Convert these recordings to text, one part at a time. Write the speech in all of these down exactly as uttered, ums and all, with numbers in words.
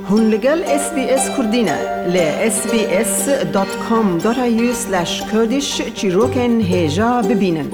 Hûn li gel S B S Kurdî ne. Li S B S dot com dot A U slash Kurdish çîrokên hêja bibînin.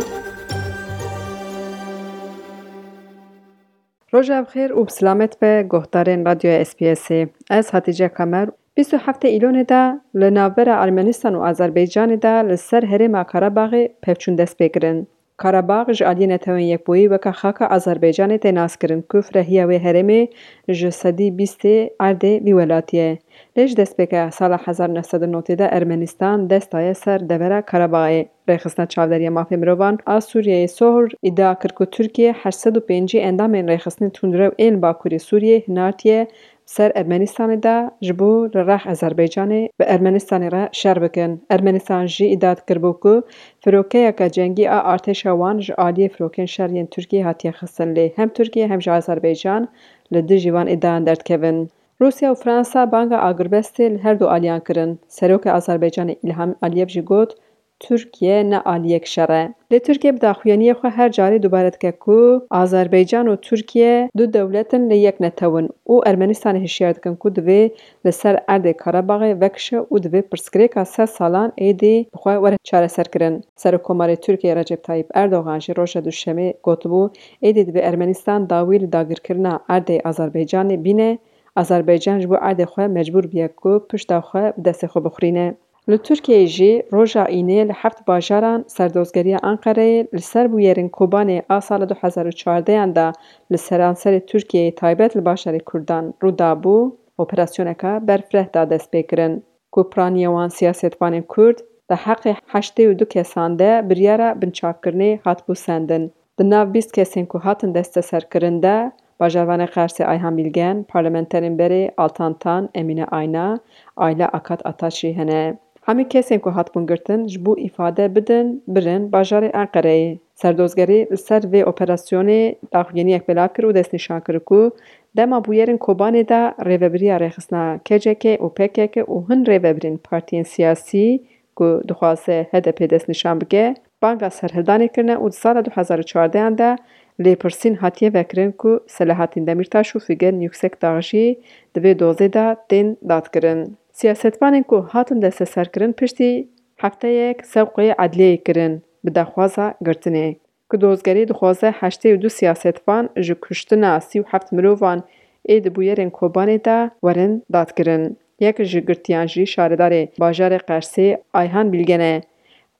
Roja bi xêr û bi silamet be guhdarên Radyoya S B S'ê. Ez Hatice Kamer. Bîst û heftê Îlonê de li navbera Ermenistan û Azerbaycanê de li ser herêma Karabaxê pevçûn dest pê kirin. Karabağ ji aliyê Netewên Yekbûyî weke xaka Azerbaycanê tê naskirin ku firehiya wê herêmê ji sedî bîstê erdê vî welatî ye. Lê ji destpêka sala hezar neh sed û notê de Ermenistan dest daye ser devera Karabağê. Rêxistina Çavderiya Mafê Mirovan a Sûriyeyê Sohr îdia kir ku Tirkiye heşt sed û pêncî endamên rêxistinên tundrew ên Bakurê Sûriyê hinartiye ser Ermenistanê de ji bo li rex Azerbaycanê bi Ermenistanê re şer bikin. Ermenistan jî îdia dikiribû ku firokeyeke cengî a artêşa wan ji aliyê firokên şer yên Tirkiyê hatiye xistin, lê hem Tirkiye hem jî Azerbaycan li dijî van îdiayan derdikevin. Rûsya û Fransa banga agirbestê li her du aliyan kirin. Serokê Azerbaycanê Îlham Aliyev jî got, Tirkiye ne aliyek şer e. Lê Tirkiye bi daxuyaniyê xwe her carê dubare dike ku Azerbaycan û Tirkiye du dewlet in lê yek netew in û Ermenistanê hişyar dikin ku divê li ser erdê Karabaxê vekişe û divê pirsgirêka sed salan êdî bi xwe were çareserkirin. Serokkomarê Tirkiyeyê Recep Tayyip Erdogan jî roja Duşemê gotibû, êdî divê Ermenistan dawî li dagirkirina erdê Azerbaycanê bîne, Azerbaycan ji bo erdê xwe mecbûr bûye ku pişta xwe bi destê xwe bixurîne. Li Tirkiyeyê jî roja Înê li heft bajaran serdozgeriya Enqereyê li ser bûyerên Kobanê a sala du hezar û çardeyan de li seranserê Tirkiyeyê taybet li bajarê Kurdan rû dabû, operasyoneka berfireh da destpêkirin. Ku piraniya wan siyasetvanên Kurd di heqê heştê û du kesan de biryara binçavkirinê hatibû sendin. Di nav bîst kesên ku hatin desteserkirin de bajarvanê Qersê Ayhan Bilgen, parlamenterên berê Altan Tan, Emîne Ayna, Ayla Akat Ataç jî hene. Hemî kesên ku hatibûn girtin ji bo îfade bidin, birin bajarê Enqereyê. Serdozgerî li ser vê operasyonê daxuyaniyek belav kir û destnîşan kir ku dema bûyerên Kobanê de rêvebiriya rêxistina K C K û P K K û hin rêvebirên partiyên siyasî ku dixwaze H D P destnîşan bike, banga serhildanê kirine û di sala du hezar û çardeyan de lêpirsîn hatiye vekirin ku Selahattin Demirtaş û Figen Yüksekdağ jî di vê dozê de tên dadkirin. Siyasetvanên ku hatin desteserkirin piştî hefteyek sewqê edliyeyê kirin bi daxwaza girtinê. Ku dozgerî dixwaze heştê û du siyasetvan ji kuştina sî û heft mirovan ê di bûyerên Kobanê de werin dadkirin. Yek ji girtiyan jî şaredarê bajarê Qersê Ayhan Bilgen e.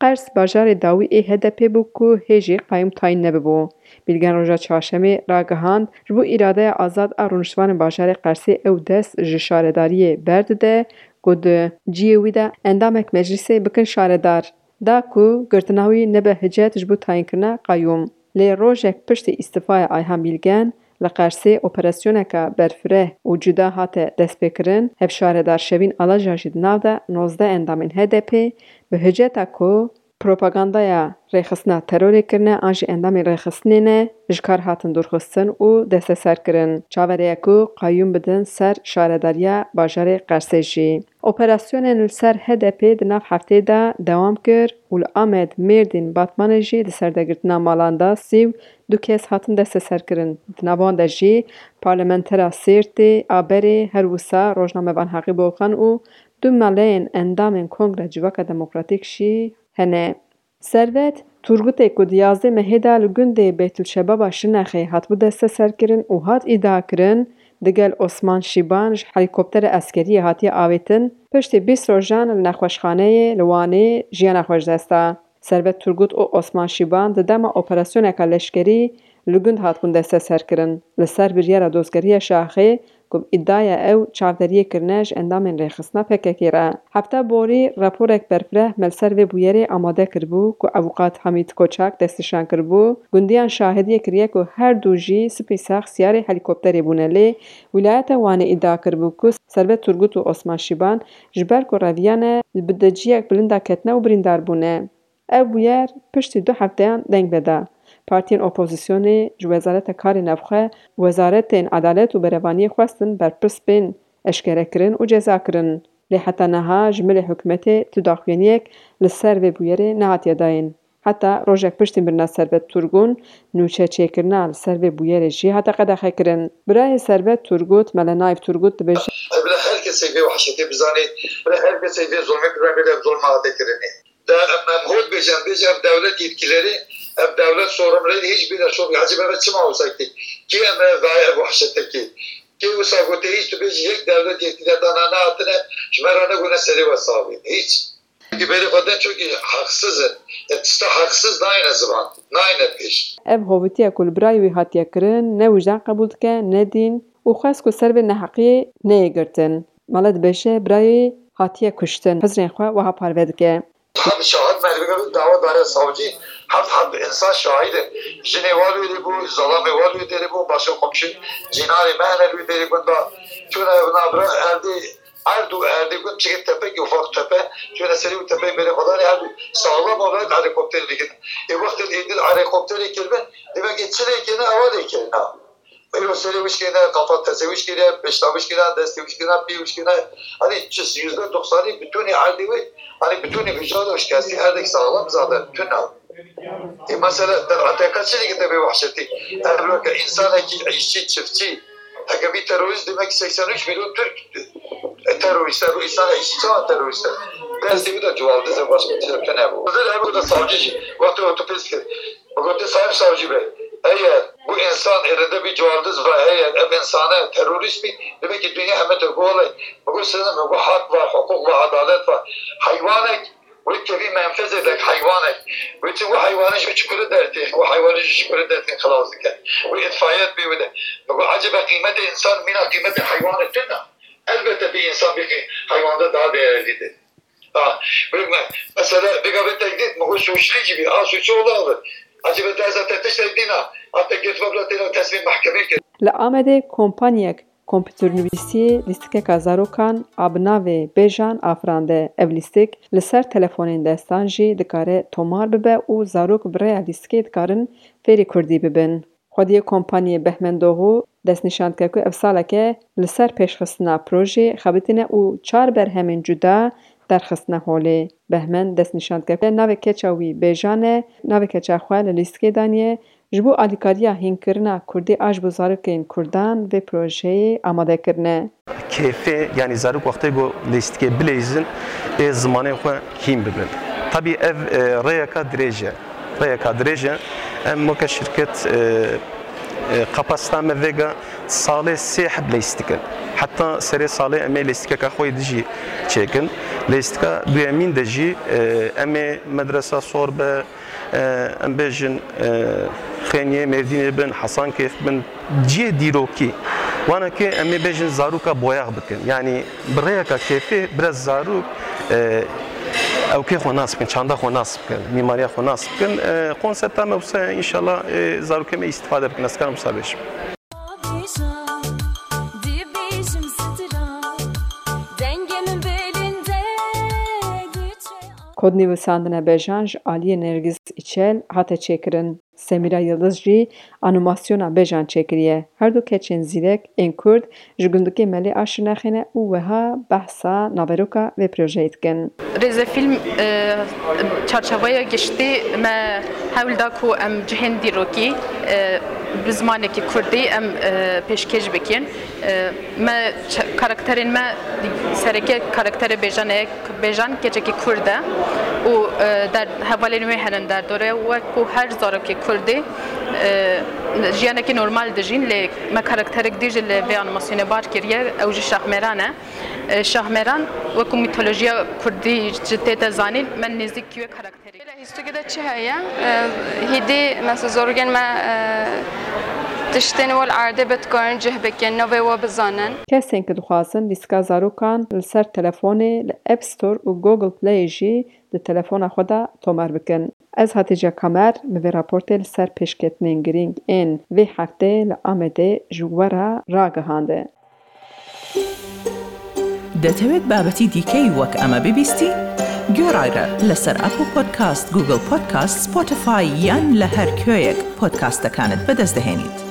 Qers bajarê dawî ê H D P bû ku hê jî qayûm tayîn nebibû. Bilgen roja çarşemê ragihand, ji bo îradeya azad a rûniştvanên bajarê Qersê ew dest ji şaredariyê berdide, ku di cihê wî de endamek meclîsê bikin şaredar. Da ku girtina wî nebe hicet ji bo tayînkirina qayûm. Lê rojek piştî îstifaya Ayhan Bilgen, li Qersê operasyoneke berfireh û cuda hate destpêkirin, hevşaredar Şevîn Alaca jî di nav de nozdeh endamên H D P bi hiceta ku propagandaya rêxistina terorê kirine an jî endamên rêxistinê ne, ji kar hatin dûrxistin û desteserkirin. Çaverê ye ku qayûm bidin ser şaredariya bajarê Qersê jî. Operasyonên li ser H D P di nav heftê de dewam kir û li Amed, Mêrdîn, Batmanê jî di serdegirtina malan de sî û du kes hatin desteserkirin. Di nav wan de jî parlamentera Sêrtê a berê, her wisa rojnamevan Heqî Bolxan û du maleyên endamên Kongra Civaka Demokratîk jî hene. Servet Turgutê ku di yazdê mehê de li gundê Beytulşebaba Şirnexê hatibû desteserkirin û hat îdiakirin, digel Osman Şîban ji helîkoptera eskeriyê hatiye avêtin, piştî bîst rojan li nexweşxaneyê li Wanê jiyana xwe ji dest da. Servet Turgut û Osman Şîban di dema operasyoneke leşkerî li gund hatibûn desteserkirin. Li ser biryara dozgeriya şaxê, ku bi îdiaya ew çavderiyê kirine ji endamên rêxistina P K K re. Hefta borî raporek berfireh me li ser vê bûyerê amade kiribû, ku avûkat Hamît Koçak destnîşan kiribû. Gundiyan şahidiyê kiriye ku her du jî spî sax siyarê helîkopterê bûne, lê wîlayeta Wanê îdia kiribû ku Servet Turgut û Osman Şîban ji ber ku reviyane li bi deciyek bilind de ketine û birîndar bûne. Ev bûyer piştî du hefteyan deng veda. Partiyên opozisyonê ji Wezareta Karê Navxwe û Wezaretên Edalet û Berevaniyê xwestin berpirs bên eşkerekirin û cezakirin. Lê heta niha ji milê hikûmetê tu daxuyaniyek li ser vê bûyerê nehatiye dayîn. Heta rojek piştî mirina Serbet Turgûn, nûçe çêkirina li ser vê bûyerê jî hate qedexekirin. Birayê Serbet Turgut, Mele Naif Turgut dibêje. Bila her kesê vê wehşetê bizanê, bila her kesê vê zulmê bizanê, bila ev zulma hate kirinê. De em, em hot bêjin, em bêjin ev dewlet yetkîlerî, ev dewlet sorumluyê hiç bîne şok. Ecêb ev çima wisa kir? Kê em, ev, ev wehşete kir? Kê wisa gote hiç tu bêjî yek dewlet yetkîler dana nehatine, ji me re negone serê we savîn. Hiç. Çünkü berê xwe den çok haksız in. E, tişta haksız nayne ziman, nayne pêş. Ev hovîtiya ku li birayê wî hatiye kirin, ne wijdan qebûl dike, ne dîn û xwest ku ser vê neheqiyê neyê girtin. Mele dibêje, birayê wî hatiye kuştin, hizrên xwe wiha parve dike. Heft şahid merivê dawa dare savcî, heft heb insan şahid in. Jinê wan wê derê bû, zalamê wan wê derê bû, başka komşu cînanê me hene li wê derê gunda. Çûne navbera erdê, erd û erdê gund çike tepekê ufak tepe, çûne serê û tepeyê berê xwe danê, her du saxlam olarak helikopterê dikin. Ê wextê êdî helikopterê kiribin, demek ki çi lê kirine, ewa lê kirine. Îro serê wişkê ne, kafa tezê wişkê ne, pişta wişkê ne, destê wişkê ne, pê wişkê ne. Hani çi yüzde doksanı bütünü erdê wê, hani bütünü vücudu şikesti, erdek sağlam zaten, tuna. E, mesela, te, te kaç çi dikî te bê wehşetî? Ev weke insanekî işçi, çiftçi, heke bî terorîst, demek ki seksen üç milyon Türk e, terorîst e, bu insan işçi çawa terorîst e? Destê wî de cuwaldiz e, başka bir şey de nebû. Hazır ev de savcı jî, wextê otopsi kir. Bi gotê Sayın Savcı Bey, eger bu insan elinde bir cuwaldiz ve eger ev insane terorîst bî, demek ki dünya heme de bu olay. Bi got siz, bi got hak var, hukuk var, adalet var. Hayvanek Wê tevî menfezê de heywanek. Wê çi wê heywanê ji çikurê dertê, wê heywanê ji çikurê dertê xilas dike. Wê îtfayet bê wê de. Bi got ecebe qîmetê însan mîna qîmetê heywanê tune. Elbette bir insan bir heyvanda daha değerlidir. Ha, wê me, mesela, vêga vê tehdît, mi got suçlî jî bî, a suçu ola bi. Ecebe te ez te tiştek dîna, a te girtî bila têne teslim mehkemê kir. Li Amedê kompanyek Kompûternivîsiyê lîstikeka zarokan a bi navê Bêjan afirande. Ev lîstik li ser telefonên destan jî dikare tomar bibe û zarok bi rêya lîstikê dikarin fêrî kurdî bibin. Xwediyê kompanyê Behmen Doğu destnîşan dike ku ev saleke li ser pêşxistina projê xebitîne û çar berhemên cuda derxistine holê. Behmen destnîşan dike ku navê keça wî Bêjan e, navê keça xwe li lîstikê daniye. Ji bo alîkariya hînkirina kurdî a ji bo zarokên kurdan vê projeyê amade kirine. Kêfê, yanî zarok wextê ku leyîstikê bileyzin, ê zimanê xwe hîn bibin. Tabî ev, e, rêyeka dirêj e. Rêyeka dirêj e. Em weke şirket, e, e, kapasita me vêga salê sê heb leyîstik in. Heta serê salê em ê leyîstikeka xwe yê dijî çêkin. Leyîstika duyemîn de jî, e, em ê medresa sor be, e, em bêjin, e, Xêniyê Mêrdînê bin, Hesankêf bin, cihê dîrokî, wana ke em ê bêjin zaroka boyax bikin. Yanî bi rêyeka kêfê biraz zarok, e, ewkê xwe nas bikin, çanda xwe nas bikin, mîmariya xwe nas bikin. E, konsepta me wisa înşallah, e, zarokê me îstifade bikin, ez karim wisa bêjim. Kodnivîsandine Bêjan ji aliyê Nergîs Îçel hate çêkirin. Semîra Yildiz jî anîmasyona Bêjan çêkiriye. Her du keçên zîrek ên kurd ji gundikê Melê a Şirnexê ne û wiha behsa naveroka vê projeyê dikin. Rêzefîlm, e, çarçeveya giştî me hewl da ku em cihên dîrokî, e, bi zimanekî kurdî em, e, pêşkêş bikin. E, me ç-, karakterên me, sereke karakterê Bêjan e, Bêjan keçekî kurd e û, e, der-, hevalên wê hene derdorê. Wek ku her zarokê kurdî, e, jiyanekî normal dijîn, lê me karakterek dî jî li vê anîmasyonê bar kiriye, ew jî Şahmeran e. E, Şahmeran wek ku mîtolojiya kurdî jî tête zanîn, me nêzîk wê karakterê. Lê lîstikê de çi heye? E, hîdî, mesela, zarokên me, e, tiştên wê li erdê bi dikarin cih bikin, navê wê bizanin. Kesên ku dixwazin lîstika zarokan li ser telefonê li App Store û Google Play jî di telefona xwe de tomar bikin. Ez Hatîce Kamer, min vê raportê li ser pêşketinên girîng ên vê heftê li Amedê ji we re ragihande. دەتەوێت بابەتی دیکەی وەک ئەمە ببیستی؟ گوێڕایرە لەسەر ئەپڵ پۆدکاست، گوگڵ پۆدکاست، سپۆتیفای یان لە هەر کوێیەک پۆدکاستەکانت بەدەست دەهێنیت.